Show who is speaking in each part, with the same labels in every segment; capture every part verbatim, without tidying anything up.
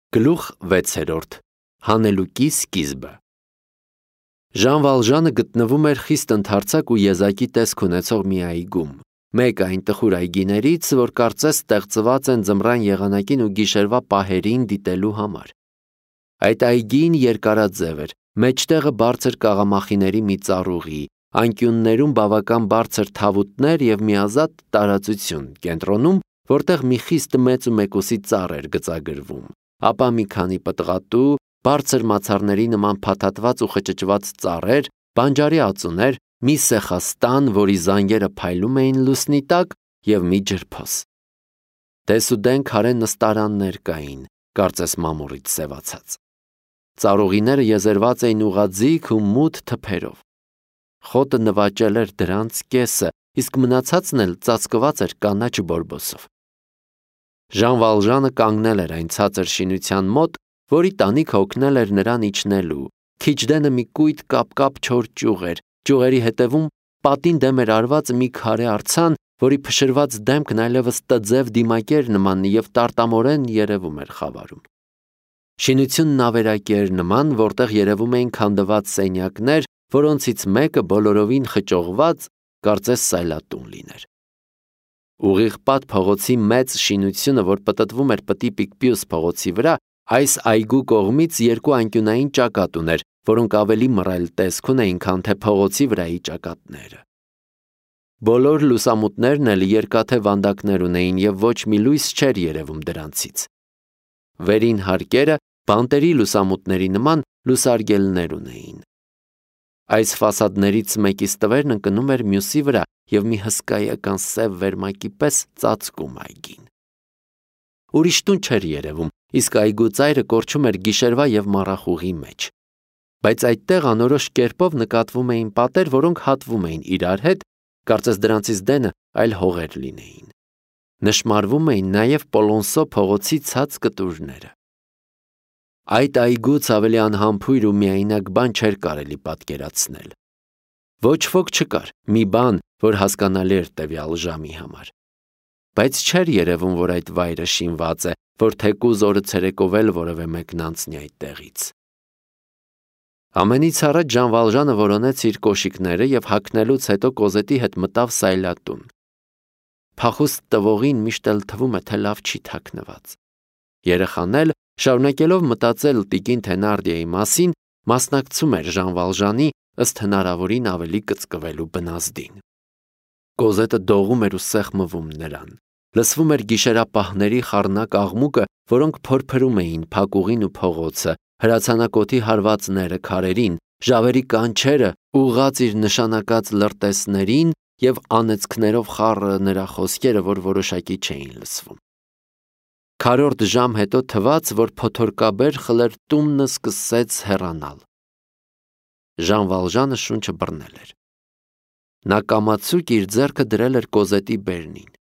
Speaker 1: Գլուխ վեցերորդ. Հանելուկի սկիզբը։ Ժան Վալժանը գտնվում էր խիստ ընդարձակ ու եզակի տեսք ունեցող մի այգում, մեկ այն տխուր այգիներից, որ կարծես ստեղծված են ձմռան եղանակին ու գիշերվա պահերին դիտելու համար։ Այդ այգին երկարաձև էր, մեջտեղը բարձր կաղամախիների մի ծառուղի, անկյուններում բավական բարձր թավուտներ և միազատ տարածություն, կենտրոնում, որտեղ մի խիստ մեծ ու մեկուսի ծառ էր գծագրվում, ապա մի քանի պտղատու, բարձր մացառների նման փաթաթված ու խճճված ծառեր, բանջարի ածուներ, մի սեխաստան, որի զանգերը փայլում էին լուսնի տակ, և մի ջրփոս։ Դեսուդեն քարե նստարաններ կային, կարծես մամուռից սևացած։ Ծառուղիները եզերված էին ուղղաձիգ ու մութ թփերով։ Խոտը նվաճել էր դրանց կեսը, իսկ մնացածն էլ ծածկված էր կանաչ բորբոսով։ Ժան Վալժանը կանգնել էր այն ցածր շինության մոտ, որի տանիքը օգնել էր նրան իջնելու, քիչ դենը մի կույտ կապկապ չոր ճյուղ էր, ճյուղերի հետևում պատին դեմ էր արված մի քարե արձան, որի փշրված դեմքն այլևս տձև դիմակեր նման և տարտամորեն երևում էր խավարում։ Շինությունն ավերակի էր նման, որտեղ երևում էին քանդված սենյակներ, որոնցից մեկը բոլորովին խճողված, կարծես սայլատուն լիներ։ Ուղիղ պատ փողոցի մեծ շինությունը, որ պտտվում էր Պտի Պիկպյուս փողոցի վրա, այս այգու կողմից երկու անկյունային ճակատ ուներ, որոնք ավելի մռայլ տեսք ունեին, քան թե փողոցի վրայի ճակատները։ Բոլոր լուսամուտներն էլ երկաթե վանդակներ ունեին և ոչ մի լույս չէր երևում դրանցից։ Վերին հարկերը բանտերի լուսամուտների նման լուսարգելներ ունեին։ Այս ֆասադներից մեկի ստվերն ընկնում էր մյուսի վրա և մի հսկայական սև վերմակի պես ծածկում այգին։ Ուրիշ տուն չէր երևում, իսկ այգու ծայրը կորչում էր գիշերվա և մառախուղի մեջ։ Բայց այդտեղ անորոշ կերպով նկատվում էին պատեր, որոնք հատվում էին իրար հետ, կարծես դրանցից դենը այլ հողեր լինեին։ Նշմարվում էին նաև Պոլոնսո փողոցի ցած կտուրները։ Այդ այգուց ավելի անհամբույր ու միայնակ բան չէր կարելի պատկերացնել։ Ոչ ոք չկար, մի բան, որ հասկանալի էր տվյալ ժամի համար։ Բայց չէր երևում, որ այդ վայրը շինված է, որ թեկուզ օրը ցերեկով էլ որևէ մեկն անցնի այդտեղից։ Ամենից առաջ Ժան Վալժանը որոնեց իր կոշիկները և հագնելուց հետո Կոզետի հետ մտավ սայլատուն։ Փախուստ տվողին միշտ էլ թվում է, թե լավ չի թաքնված։ Երեխան էլ, շարունակելով մտածել տիկին Թենարդիեի մասին, մասնակցում էր Ժան Վալժանի ըստ հնարավորին ավելի կծկվելու բնազդին։ Կոզետը դողում էր ու սեղմվում նրան։ Լսվում էր գիշերապահների խառնակ աղմուկը, որոնք փորփրում էին փակուղին ու փողոցը, հրացանակոթի հարվածները քարերին, ժավերի կանչերը ուղղած իր նշանակած լրտեսներին և անեծքներով խառը նրա խոսքերը, որ որոշակի չէին լսվում։ Քառորդ ժամ հետո թվաց, որ փոթորկաբեր խլրտումն սկսեց հեռանալ։ Ժան Վալժանը շունչը բռնել էր։ Նա կամացուկ իր ձեռքը դրել էր Կոզետի բերնին։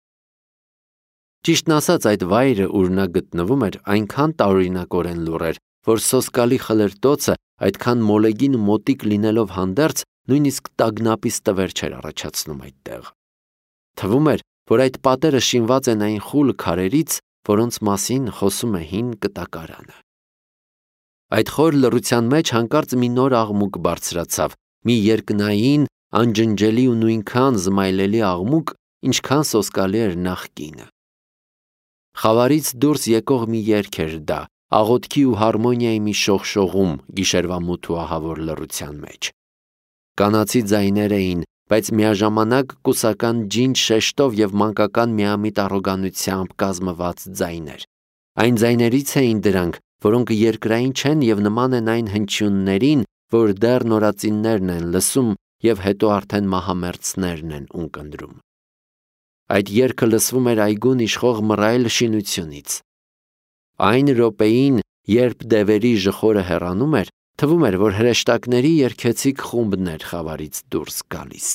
Speaker 1: Ճիշտն ասած, այդ վայրը, ուր նա գտնվում էր, այնքան տարօրինակորեն լուռ էր, որ սոսկալի խլրտոցը այդքան մոլեգին ու մոտիկ լինելով հանդերձ, նույնիսկ տագնապի ստվեր չէր առաջացնում այդտեղ։ Թվում էր, որ այդ պատերը շինված են այն խուլ քարերից, որոնց մասին խոսում է հին կտակարանը։ Այդ խոր լռության մեջ հանկարծ մի նոր աղմուկ բարձրացավ, մի երկնային, անջնջելի ու նույնքան զմայլելի աղմուկ, ինչքան սոսկալի էր նախկինը։ Խավարից դուրս եկող մի երգ էր դա, աղոթքի ու հարմոնիայի մի շողշողում գիշերվա մութ ու ահավոր լռության մեջ։ Կանացի ձայներ էին, բայց միաժամանակ կուսական ջինջ շեշտով և մանկական միամիտ առոգանությամբ կազմված ձայներ։ Այն ձայներից էին դրանք, որոնք երկրային չեն և նման են այն հնչյուններին, որ դեռ նորածիններն են լսում և հետո արդեն մահամերձներն են ունկնդրում։ Այդ երգը լսվում էր այգուն իշխող մռայլ շինությունից։ Այն րոպեին, երբ դևերի ժխորը հեռանում էր, թվում էր, որ հրեշտակների երգեցիկ խումբն էր խավարից դուրս գալիս։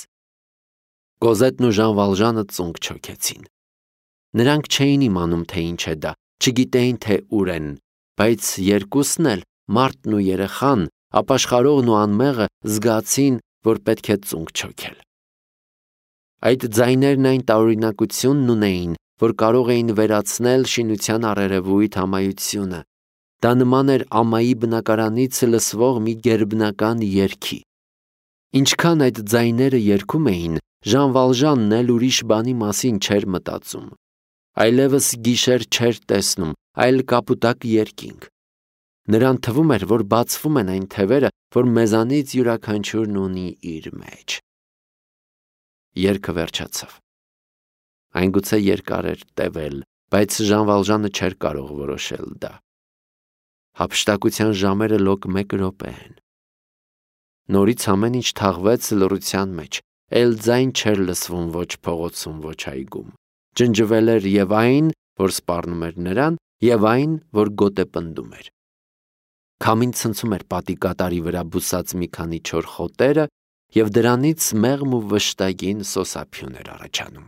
Speaker 1: Կոզետն ու Ժան Վալժանը ծունկ չոքեցին։ Նրանք չէին իմանում, թե ինչ է դա, չգիտեին, թե ուր են, բայց երկուսն էլ, մարդն ու երեխան, ապաշխարողն ու անմեղը, զգացին, որ պետք է ծունկ չոքել։ Այդ ձայներն այն տարօրինակությունն ունեին, որ կարող էին վերացնել շինության առերևույթ ամայությունը, Դա նման էր ամայի բնակարանից լսվող մի գերբնական երգի։ Ինչքան այդ ձայները երգում էին, Ժան Վալժանն էլ ուրիշ բանի մասին չէր մտածում։ Այլևս գիշեր չէր տեսնում, այլ կապուտակ երկինք։ Նրան թվում էր, որ բացվում են այն թևերը, որ մեզանից յուրաքանչյուրն ունի իր մեջ։ Երգը վերջացավ։ Այն գուցե երկար էր տևել, բայց Ժան Վալժանը չէր կարող որոշել դա։ Հափշտակության ժամերը լոկ մեկ րոպե են։ Նորից ամեն ինչ թաղվեց լռության մեջ, էլ ձայն չէր լսվում ոչ փողոցում, ոչ այգում։ Ջնջվել էր և այն, որ սպառնում էր նրան, և այն, որ գոտ է պնդում էր։ Քամին ցնցում էր պատի կատարի վրա բուսած մի քանի չոր խոտերը, և դրանից մեղմ ու վշտագին սոսափյուն էր առաջանում։